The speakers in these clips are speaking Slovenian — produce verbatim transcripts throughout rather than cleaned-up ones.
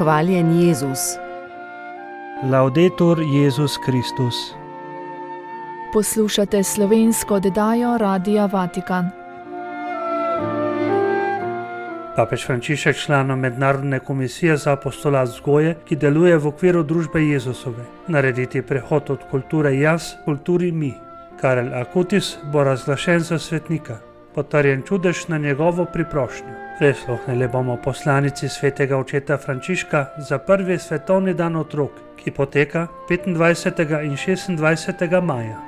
Hvaljen Jezus. Laudetur Jezus Kristus. Poslušate slovensko oddajo Radia Vatikan. Papež Frančišek, član Mednarodne komisije za apostolat vzgoje, ki deluje v okviru družbe Jezusove, narediti prehod od kulture jaz k kulturi mi. Karel Akutis bo razglašen za svetnika, potrjen čudež na njegovo priprošnjo. Prisluhnili bomo poslanici svetega očeta Frančiška za prvi svetovni dan otrok, ki poteka petindvajsetega in šestindvajsetega maja.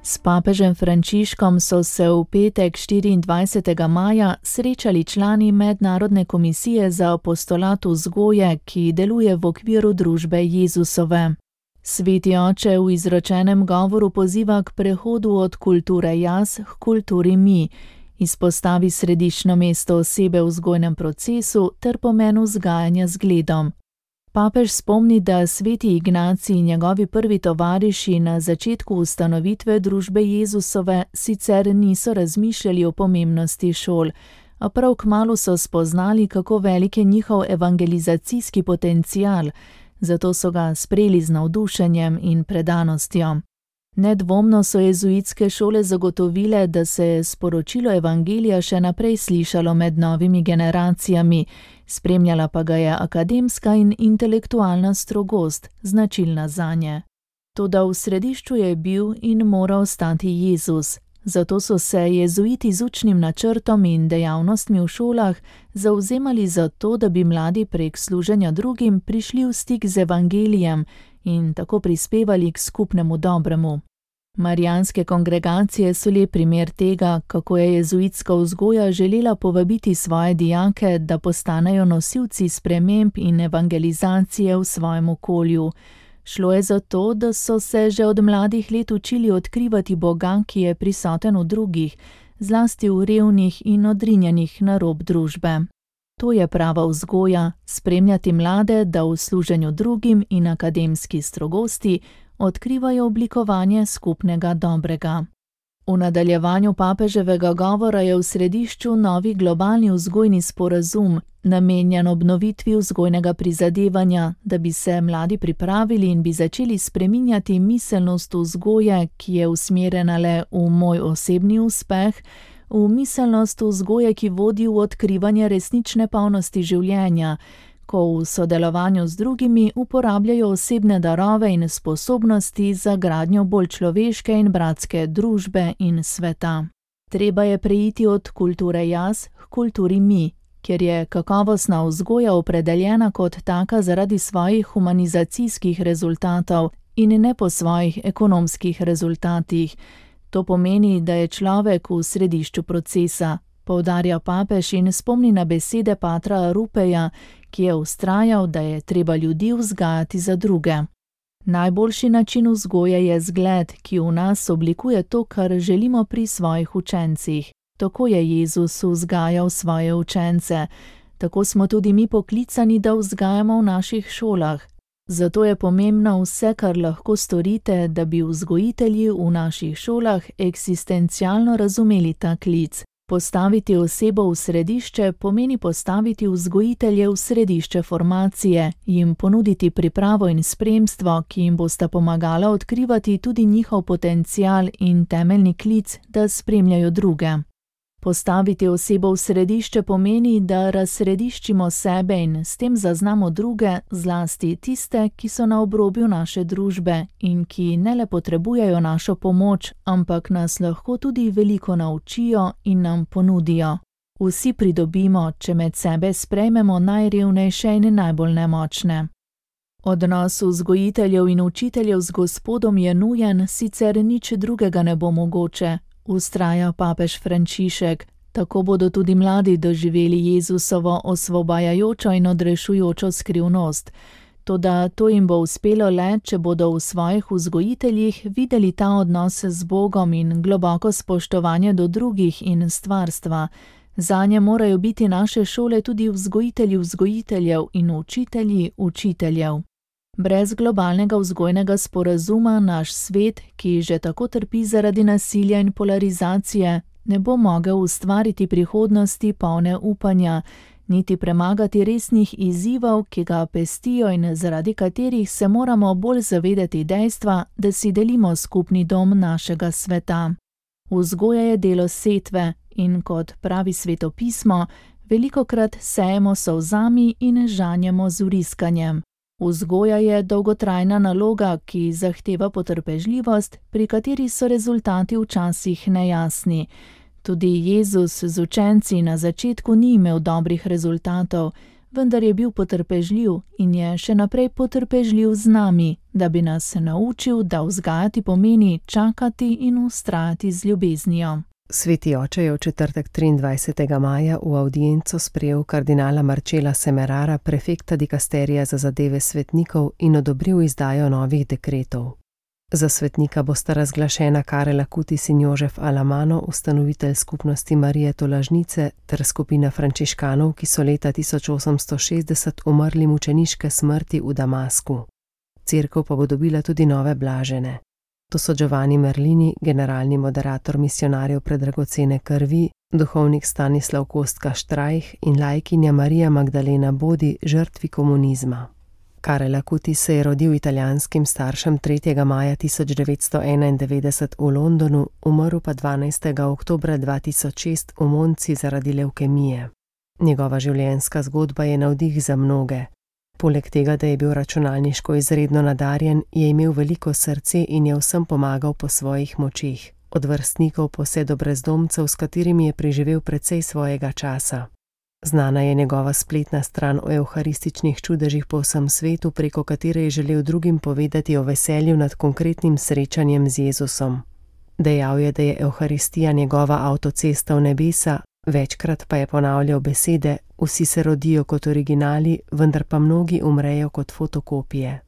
S papežem Frančiškom so se v petek štiriindvajsetega maja srečali člani Mednarodne komisije za apostolat vzgoje, ki deluje v okviru družbe Jezusove. Sveti oče v izročenem govoru poziva k prehodu od kulture jaz k kulturi mi, izpostavi središčno mesto osebe v vzgojnem procesu ter pomen vzgajanja z gledom. Papež spomni, da sveti Ignacij in njegovi prvi tovariši na začetku ustanovitve družbe Jezusove sicer niso razmišljali o pomembnosti šol, a prav kmalu so spoznali, kako velik je njihov evangelizacijski potencial, zato so ga sprejeli z navdušenjem in predanostjo. Nedvomno so jezuitske šole zagotovile, da se je sporočilo evangelija še naprej slišalo med novimi generacijami, spremljala pa ga je akademska in intelektualna strogost, značilna zanje. Toda v središču je bil in mora ostati Jezus, zato so se jezuiti z učnim načrtom in dejavnostmi v šolah zavzemali za to, da bi mladi prek služenja drugim prišli v stik z evangelijem in tako prispevali k skupnemu dobremu. Marijanske kongregacije so lep primer tega, kako je jezuitska vzgoja želela povabiti svoje dijake, da postanejo nosilci sprememb in evangelizacije v svojem okolju. Šlo je za to, da so se že od mladih let učili odkrivati Boga, ki je prisoten v drugih, zlasti v revnih in odrinjenih na rob družbe. To je prava vzgoja, spremljati mlade, da v služenju drugim in akademski strogosti odkrivajo oblikovanje skupnega dobrega. V nadaljevanju papeževega govora je v središču novi globalni vzgojni sporazum, namenjen obnovitvi vzgojnega prizadevanja, da bi se mladi pripravili in bi začeli spreminjati miselnost vzgoje, ki je usmerjena le v moj osebni uspeh, v miselnost vzgoje, ki vodi v odkrivanje resnične polnosti življenja, ko v sodelovanju z drugimi uporabljajo osebne darove in sposobnosti za gradnjo bolj človeške in bratske družbe in sveta. Treba je preiti od kulture jaz k kulturi mi, kjer je kakovostna vzgoja opredeljena kot taka zaradi svojih humanizacijskih rezultatov in ne po svojih ekonomskih rezultatih. To pomeni, da je človek v središču procesa, poudarja papež in spomni na besede patra Rupeja, ki je vztrajal, da je treba ljudi vzgajati za druge. Najboljši način vzgoje je zgled, ki v nas oblikuje to, kar želimo pri svojih učencih. Tako je Jezus vzgajal svoje učence. Tako smo tudi mi poklicani, da vzgajamo v naših šolah. Zato je pomembno vse, kar lahko storite, da bi vzgojitelji v naših šolah eksistencialno razumeli ta klic. Postaviti osebo v središče pomeni postaviti vzgojitelje v središče formacije, jim ponuditi pripravo in spremstvo, ki jim bosta pomagala odkrivati tudi njihov potencial in temeljni klic, da spremljajo druge. Postaviti osebo v središče pomeni, da razsrediščimo sebe in s tem zaznamo druge, zlasti tiste, ki so na obrobju naše družbe in ki ne le potrebujejo našo pomoč, ampak nas lahko tudi veliko naučijo in nam ponudijo. Vsi pridobimo, če med sebe sprejmemo najrevnejše in najbolj nemočne. Odnos vzgojiteljev in učiteljev z Gospodom je nujen, sicer nič drugega ne bo mogoče. Vztraja papež Frančišek, tako bodo tudi mladi doživeli Jezusovo osvobajajočo in odrešujočo skrivnost. Toda to jim bo uspelo le, če bodo v svojih vzgojiteljih videli ta odnos z Bogom in globoko spoštovanje do drugih in stvarstva. Zanje morajo biti naše šole tudi vzgojitelji vzgojiteljev in učitelji učiteljev. Brez globalnega vzgojnega sporazuma naš svet, ki že tako trpi zaradi nasilja in polarizacije, ne bo mogel ustvariti prihodnosti polne upanja, niti premagati resnih izzivov, ki ga pestijo in zaradi katerih se moramo bolj zavedati dejstva, da si delimo skupni dom našega sveta. Vzgoja je delo setve in, kot pravi svetopismo, velikokrat sejemo s solzami in žanjemo z vriskanjem. Vzgoja je dolgotrajna naloga, ki zahteva potrpežljivost, pri kateri so rezultati včasih nejasni. Tudi Jezus z učenci na začetku ni imel dobrih rezultatov, vendar je bil potrpežljiv in je še naprej potrpežljiv z nami, da bi nas naučil, da vzgajati pomeni čakati in vztrajati z ljubeznijo. Sveti oče je v četrtek triindvajsetega maja v avdienco sprejel kardinala Marcela Semerara, prefekta dikasterija za zadeve svetnikov, in odobril izdajo novih dekretov. Za svetnika bosta razglašena Karel Acutis in Jožef Alamano, ustanovitelj skupnosti Marije Tolažnice, ter skupina frančiškanov, ki so leta tisoč osemsto šestdeset umrli mučeniške smrti v Damasku. Cerkev pa bo dobila tudi nove blažene. To so Giovanni Merlini, generalni moderator misijonarjev predragocene krvi, duhovnik Stanislav Kostka Štrajh in laikinja Marija Magdalena Bodi, žrtvi komunizma. Karel Acutis se je rodil italijanskim staršem tretjega maja tisoč devetsto enaindevetdeset v Londonu, umrl pa dvanajstega oktobra dva tisoč šest v Monci zaradi levkemije. Njegova življenjska zgodba je navdih za mnoge. Poleg tega, da je bil računalniško izredno nadarjen, je imel veliko srce in je vsem pomagal po svojih močeh, od vrstnikov pa vse do brezdomcev, s katerimi je preživel precej svojega časa. Znana je njegova spletna stran o evharističnih čudežih po vsem svetu, preko katere je želel drugim povedati o veselju nad konkretnim srečanjem z Jezusom. Dejal je, da je evharistija njegova avtocesta v nebesa, večkrat pa je ponavljal besede: vsi se rodijo kot originali, vendar pa mnogi umrejo kot fotokopije.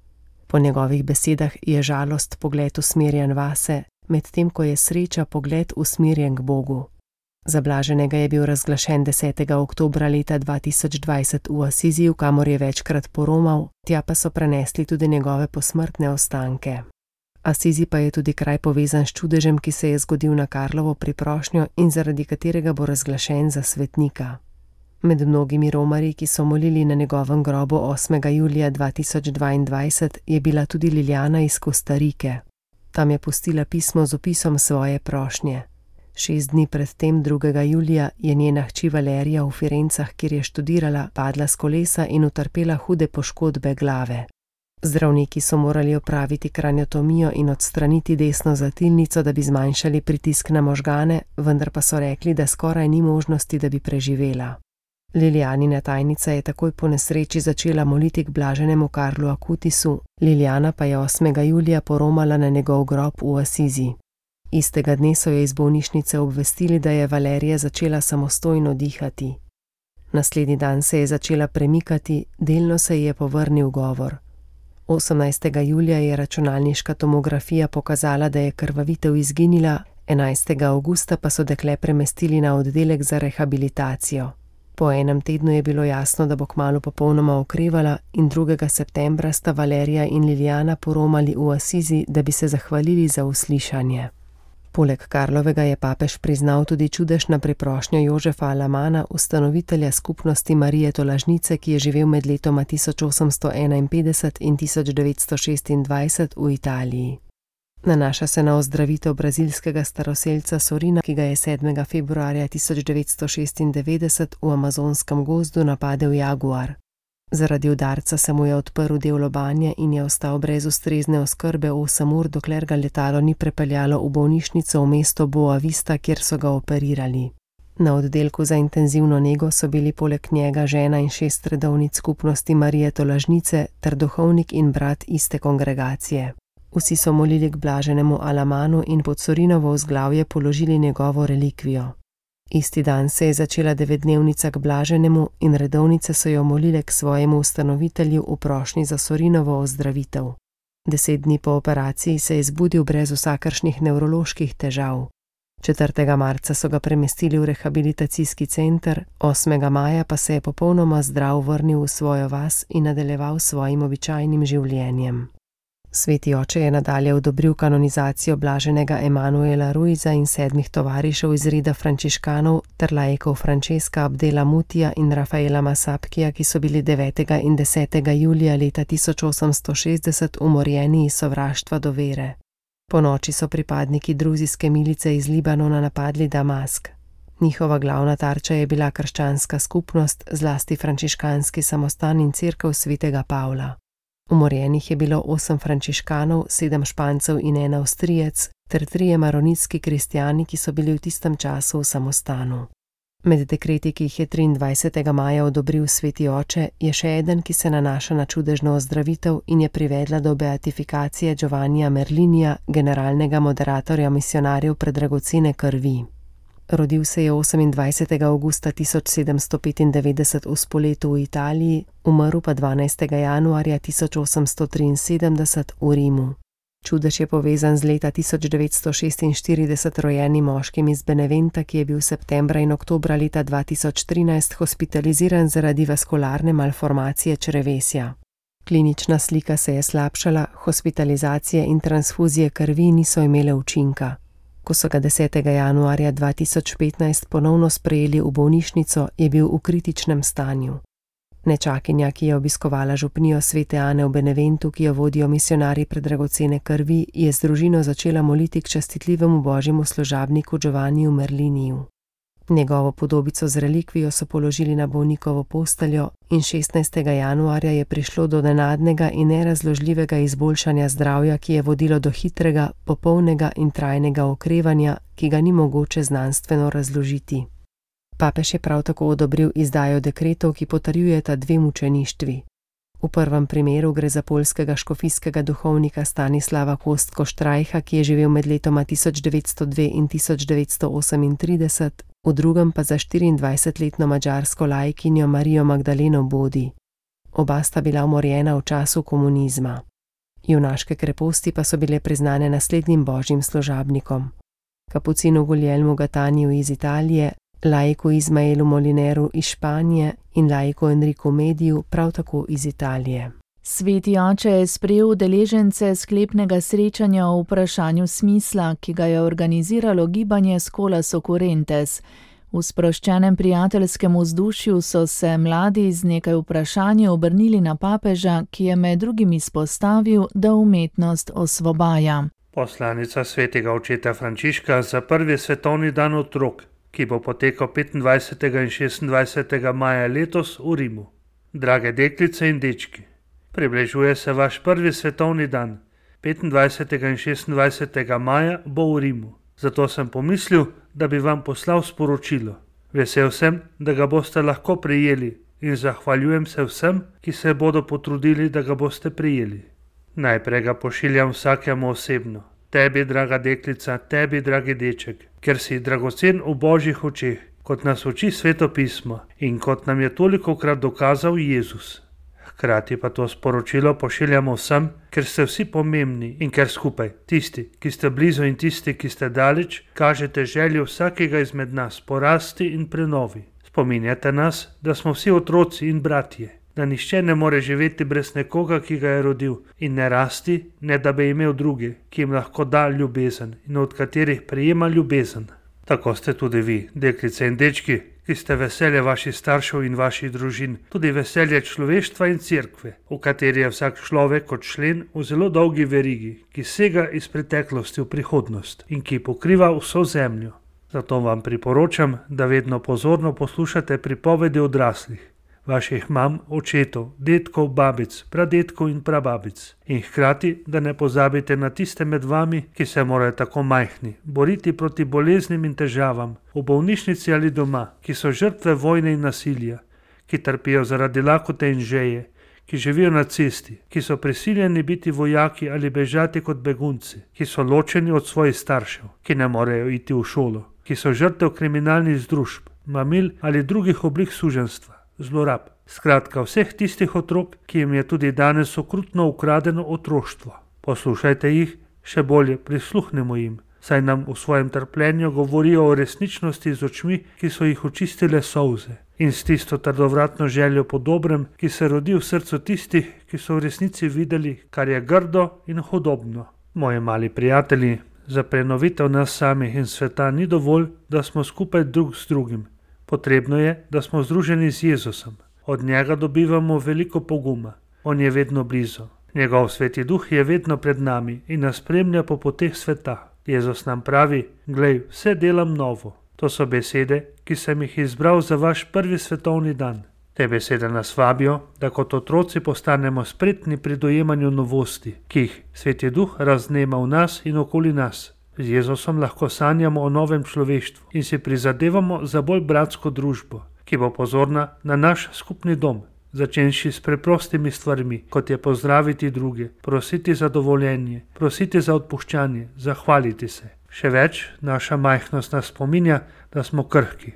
Po njegovih besedah je žalost pogled usmerjen vase, medtem ko je sreča pogled usmerjen k Bogu. Za blaženega je bil razglašen desetega oktobra leta dva tisoč dvajset v Asiziju, kamor je večkrat poromal, tja pa so prenesli tudi njegove posmrtne ostanke. Asizi pa je tudi kraj povezan s čudežem, ki se je zgodil na Karlovo priprošnjo in zaradi katerega bo razglašen za svetnika. Med mnogimi romarji, ki so molili na njegovem grobu osmega julija dva tisoč dvaindvajset, je bila tudi Liljana iz Kostarike. Tam je pustila pismo z opisom svoje prošnje. Šest dni pred tem, drugega julija, je njena hči Valerija v Firencah, kjer je študirala, padla s kolesa in utrpela hude poškodbe glave. Zdravniki so morali opraviti kraniotomijo in odstraniti desno zatilnico, da bi zmanjšali pritisk na možgane, vendar pa so rekli, da skoraj ni možnosti, da bi preživela. Lilijanina tajnica je takoj po nesreči začela moliti k blaženemu Karlu Acutisu, Liljana pa je osmega julija poromala na njegov grob v Asizi. Istega dne so jo iz bolnišnice obvestili, da je Valerija začela samostojno dihati. Naslednji dan se je začela premikati, delno se ji je povrnil govor. osemnajstega julija je računalniška tomografija pokazala, da je krvavitev izginila, enajstega avgusta pa so dekle premestili na oddelek za rehabilitacijo. Po enem tednu je bilo jasno, da bo kmalu popolnoma okrevala, in drugega septembra sta Valerija in Liljana poromali v Asizi, da bi se zahvalili za uslišanje. Poleg Karlovega je papež priznal tudi čudežno priprošnjo Jožefa Alamana, ustanovitelja skupnosti Marije Tolažnice, ki je živel med letoma tisoč osemsto enainpetdeset in tisoč devetsto šestindvajset v Italiji. Nanaša se na ozdravitev brazilskega staroselca Sorina, ki ga je sedmega februarja tisoč devetsto šestindevetdeset v amazonskem gozdu napadel jaguar. Zaradi udarca se mu je odprl del lobanje in je ostal brez ustrezne oskrbe osem ur, dokler ga letalo ni prepeljalo v bolnišnico v mesto Boa Vista, kjer so ga operirali. Na oddelku za intenzivno nego so bili poleg njega žena in šest redovnic skupnosti Marije Tolažnice ter duhovnik in brat iste kongregacije. Vsi so molili k blaženemu Alamanu in pod Sorinovo vzglavje položili njegovo relikvijo. Isti dan se je začela devetdnevnica k blaženemu in redovnice so jo molile k svojemu ustanovitelju v prošnji za Sorinovo ozdravitev. Deset dni po operaciji se je zbudil brez vsakršnih nevroloških težav. četrtega marca so ga premestili v rehabilitacijski center, osmega maja pa se je popolnoma zdrav vrnil v svojo vas in nadaljeval svojim običajnim življenjem. Sveti oče je nadalje odobril kanonizacijo blaženega Emanuela Ruiza in sedmih tovarišev iz reda frančiškanov ter laikov Francesca Abdela Mutija in Rafaela Masapkija, ki so bili devetega in desetega julija leta tisoč osemsto šestdeset umorjeni iz sovraštva do vere. Ponoči so pripadniki druzijske milice iz Libanona napadli Damask. Njihova glavna tarča je bila krščanska skupnost, zlasti frančiškanski samostan in cerkev svetega Pavla. Umorjenih je bilo osem frančiškanov, sedem Špancev in en Avstrijec, ter trije maronitski kristjani, ki so bili v tistem času v samostanu. Med dekreti, ki jih je triindvajsetega maja odobril sveti oče, je še eden, ki se nanaša na čudežno ozdravitev in je privedla do beatifikacije Giovannija Merlinija, generalnega moderatorja misionarjev predragocene krvi. Rodil se je osemindvajsetega avgusta tisoč sedemsto petindevetdeset v Spoletu v Italiji, umrl pa dvanajstega januarja tisoč osemsto triinsedemdeset v Rimu. Čudež je povezan z leta tisoč devetsto šestinštirideset rojenim moškim iz Beneventa, ki je bil septembra in oktobra leta dva tisoč trinajst hospitaliziran zaradi vaskularne malformacije črevesja. Klinična slika se je slabšala, hospitalizacije in transfuzije krvi niso imele učinka. Ko so ga desetega januarja dva tisoč petnajst ponovno sprejeli v bolnišnico, je bil v kritičnem stanju. Nečakinja, ki je obiskovala župnijo svete Ane v Beneventu, ki jo vodijo misionarji predragocene krvi, je z družino začela moliti k častitljivemu božjemu služabniku Giovanniju Merliniju. Njegovo podobico z relikvijo so položili na bolnikovo posteljo in šestnajstega januarja je prišlo do nenadnega in nerazložljivega izboljšanja zdravja, ki je vodilo do hitrega, popolnega in trajnega okrevanja, ki ga ni mogoče znanstveno razložiti. Papež je prav tako odobril izdajo dekretov, ki potrjujeta dve mučeništvi. V prvem primeru gre za poljskega škofijskega duhovnika Stanislava Kostko-Štrajha, ki je živel med letoma tisoč devetsto dve in tisoč devetsto osemintrideset, v drugem pa za štiriindvajsetletno madžarsko laikinjo Marijo Magdaleno Bodi. Oba sta bila umorjena v času komunizma. Junaške kreposti pa so bile priznane naslednjim božjim služabnikom: kapucinu Guglielmu Gataniju iz Italije, laiku Izmaelu Molineru iz Španije in laiku Enriku Mediju, prav tako iz Italije. Sveti oče je sprejel udeležence sklepnega srečanja o vprašanju smisla, ki ga je organiziralo gibanje Scholas Occurrentes. V sproščenem prijateljskem vzdušju so se mladi z nekaj vprašanji obrnili na papeža, ki je med drugim izpostavil, da umetnost osvobaja. Poslanica svetega očeta Frančiška za prvi svetovni dan otrok, ki bo potekal petindvajsetega in šestindvajsetega maja letos v Rimu. Drage deklice in dečki, približuje se vaš prvi svetovni dan. petindvajsetega in šestindvajsetega maja bo v Rimu. Zato sem pomislil, da bi vam poslal sporočilo. Vesel sem, da ga boste lahko prijeli in zahvaljujem se vsem, ki se bodo potrudili, da ga boste prijeli. Najprej ga pošiljam vsakemu osebno. Tebi, draga deklica, tebi, dragi deček, ker si dragocen v božjih očeh, kot nas uči Sveto pismo in kot nam je tolikokrat dokazal Jezus. Hkrati pa to sporočilo pošiljamo vsem, ker ste vsi pomembni in ker skupaj, tisti, ki ste blizu in tisti, ki ste daleč, kažete željo vsakega izmed nas porasti in prenovi. Spominjate nas, da smo vsi otroci in bratje, da nihče ne more živeti brez nekoga, ki ga je rodil, in ne rasti, ne da bi imel druge, ki jim lahko da ljubezen in od katerih prejema ljubezen. Tako ste tudi vi, deklice in dečki, ki ste veselje vaših staršev in vaših družin, tudi veselje človeštva in cerkve, v kateri je vsak človek kot člen v zelo dolgi verigi, ki sega iz preteklosti v prihodnost in ki pokriva vso zemljo. Zato vam priporočam, da vedno pozorno poslušate pripovedi odraslih, vaših mam, očetov, dedkov, babic, pradedkov in prababic. In hkrati, da ne pozabite na tiste med vami, ki se morajo tako majhni boriti proti boleznim in težavam, v bolnišnici ali doma, ki so žrtve vojne in nasilja, ki trpijo zaradi lakote in žeje, ki živijo na cesti, ki so prisiljeni biti vojaki ali bežati kot begunci, ki so ločeni od svojih staršev, ki ne morejo iti v šolo, ki so žrtev kriminalnih združb, mamil ali drugih oblik suženjstva, zlorab. Skratka, vseh tistih otrok, ki jim je tudi danes okrutno ukradeno otroštvo. Poslušajte jih, še bolje prisluhnemo jim, saj nam v svojem trpljenju govorijo o resničnosti z očmi, ki so jih očistile solze, in s tisto trdovratno željo po dobrem, ki se rodi v srcu tistih, ki so v resnici videli, kar je grdo in hudobno. Moji mali prijatelji, za prenovitev nas samih in sveta ni dovolj, da smo skupaj drug z drugim. Potrebno je, da smo združeni z Jezusom. Od njega dobivamo veliko poguma. On je vedno blizu. Njegov sveti duh je vedno pred nami in nas spremlja po poteh sveta. Jezus nam pravi: "Glej, vse delam novo." To so besede, ki sem jih izbral za vaš prvi svetovni dan. Te besede nas vabijo, da kot otroci postanemo spretni pri dojemanju novosti, ki jih sveti duh raznema v nas in okoli nas. Z Jezusom lahko sanjamo o novem človeštvu in si prizadevamo za bolj bratsko družbo, ki bo pozorna na naš skupni dom, začenši s preprostimi stvarmi, kot je pozdraviti druge, prositi za dovoljenje, prositi za odpuščanje, zahvaliti se. Še več, naša majhnost nas spominja, da smo krhki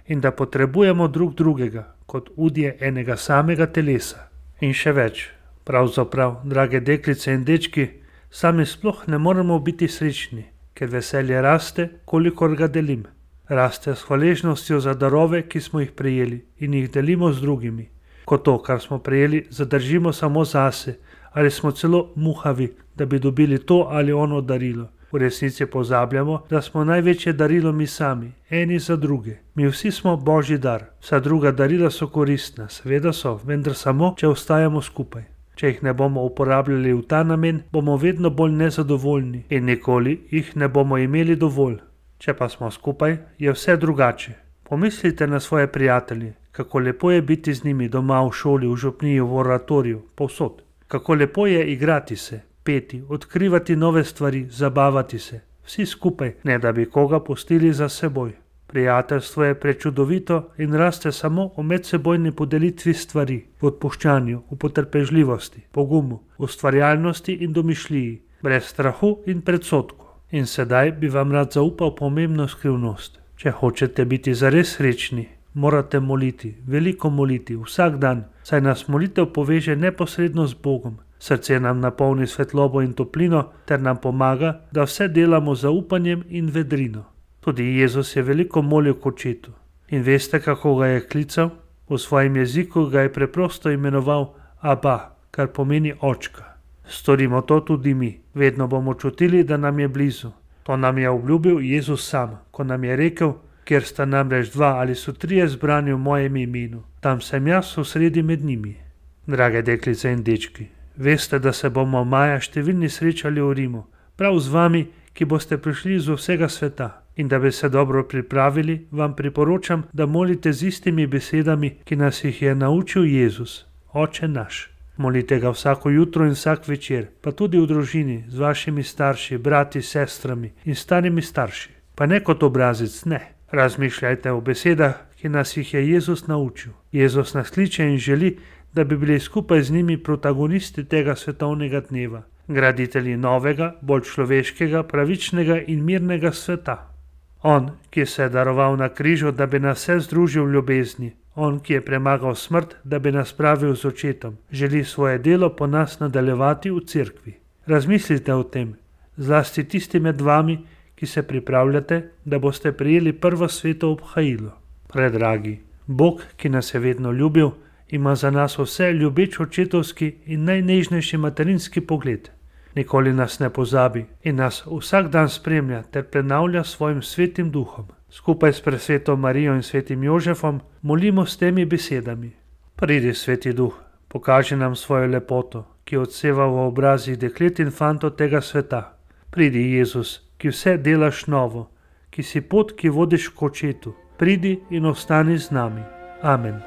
in da potrebujemo drug drugega, kot udje enega samega telesa. In še več, pravzaprav, drage deklice in dečki, sami sploh ne moremo biti srečni, ker veselje raste, kolikor ga delim. Raste s hvaležnostjo za darove, ki smo jih prejeli in jih delimo z drugimi. Ko to, kar smo prejeli, zadržimo samo zase ali smo celo muhavi, da bi dobili to ali ono darilo. V resnici pozabljamo, da smo največje darilo mi sami, eni za druge. Mi vsi smo Božji dar. Vsa druga darila so koristna, seveda so, vendar samo, če ostajamo skupaj. Če jih ne bomo uporabljali v ta namen, bomo vedno bolj nezadovoljni in nikoli jih ne bomo imeli dovolj. Če pa smo skupaj, je vse drugače. Pomislite na svoje prijatelje, kako lepo je biti z njimi doma, v šoli, v župniji, v oratoriju, povsod. Kako lepo je igrati se, peti, odkrivati nove stvari, zabavati se. Vsi skupaj, ne da bi koga pustili za seboj. Prijateljstvo je prečudovito in raste samo v medsebojni podelitvi stvari, v odpuščanju, v potrpežljivosti, pogumu, ustvarjalnosti in domišljiji, brez strahu in predsodku. In sedaj bi vam rad zaupal pomembno skrivnost. Če hočete biti zares srečni, morate moliti, veliko moliti, vsak dan, saj nas molitev poveže neposredno z Bogom. Srce nam napolni svetlobo in toplino ter nam pomaga, da vse delamo z zaupanjem in vedrino. Tudi Jezus je veliko molil k Očetu. In veste, kako ga je klical? V svojem jeziku ga je preprosto imenoval Aba, kar pomeni očka. Storimo to tudi mi. Vedno bomo čutili, da nam je blizu. To nam je obljubil Jezus sam, ko nam je rekel: "Kjer sta namreč dva ali so trije zbrani v mojem imenu, tam sem jaz v sredi med njimi." Drage deklice in dečki, veste, da se bomo maja številni srečali v Rimu, prav z vami, ki boste prišli iz vsega sveta. In da bi se dobro pripravili, vam priporočam, da molite z istimi besedami, ki nas jih je naučil Jezus, Oče naš. Molite ga vsako jutro in vsak večer, pa tudi v družini, z vašimi starši, brati, sestrami in starimi starši. Pa ne kot obrazec, ne. Razmišljajte o besedah, ki nas jih je Jezus naučil. Jezus nas kliče in želi, da bi bili skupaj z njimi protagonisti tega svetovnega dneva, graditelji novega, bolj človeškega, pravičnega in mirnega sveta. On, ki se je daroval na križu, da bi nas vse združil v ljubezni, on, ki je premagal smrt, da bi nas spravil z Očetom, želi svoje delo po nas nadaljevati v cerkvi. Razmislite o tem, zlasti tisti med vami, ki se pripravljate, da boste prijeli prvo sveto obhajilo. Predragi, Bog, ki nas je vedno ljubil, ima za nas vse ljubeč očetovski in najnežnejši materinski pogled. Nikoli nas ne pozabi in nas vsak dan spremlja ter prenavlja svojim svetim duhom. Skupaj s presveto Marijo in svetim Jožefom molimo s temi besedami. Pridi, sveti duh, pokaži nam svojo lepoto, ki odseva v obrazih deklet in fantov tega sveta. Pridi, Jezus, ki vse delaš novo, ki si pot, ki vodiš k Očetu. Pridi in ostani z nami. Amen.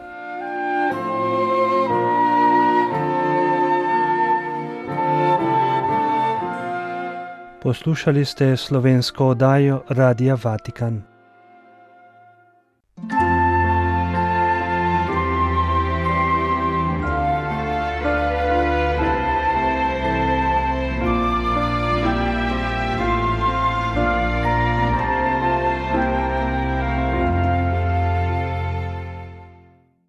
Poslušali ste slovensko oddajo Radia Vatikan.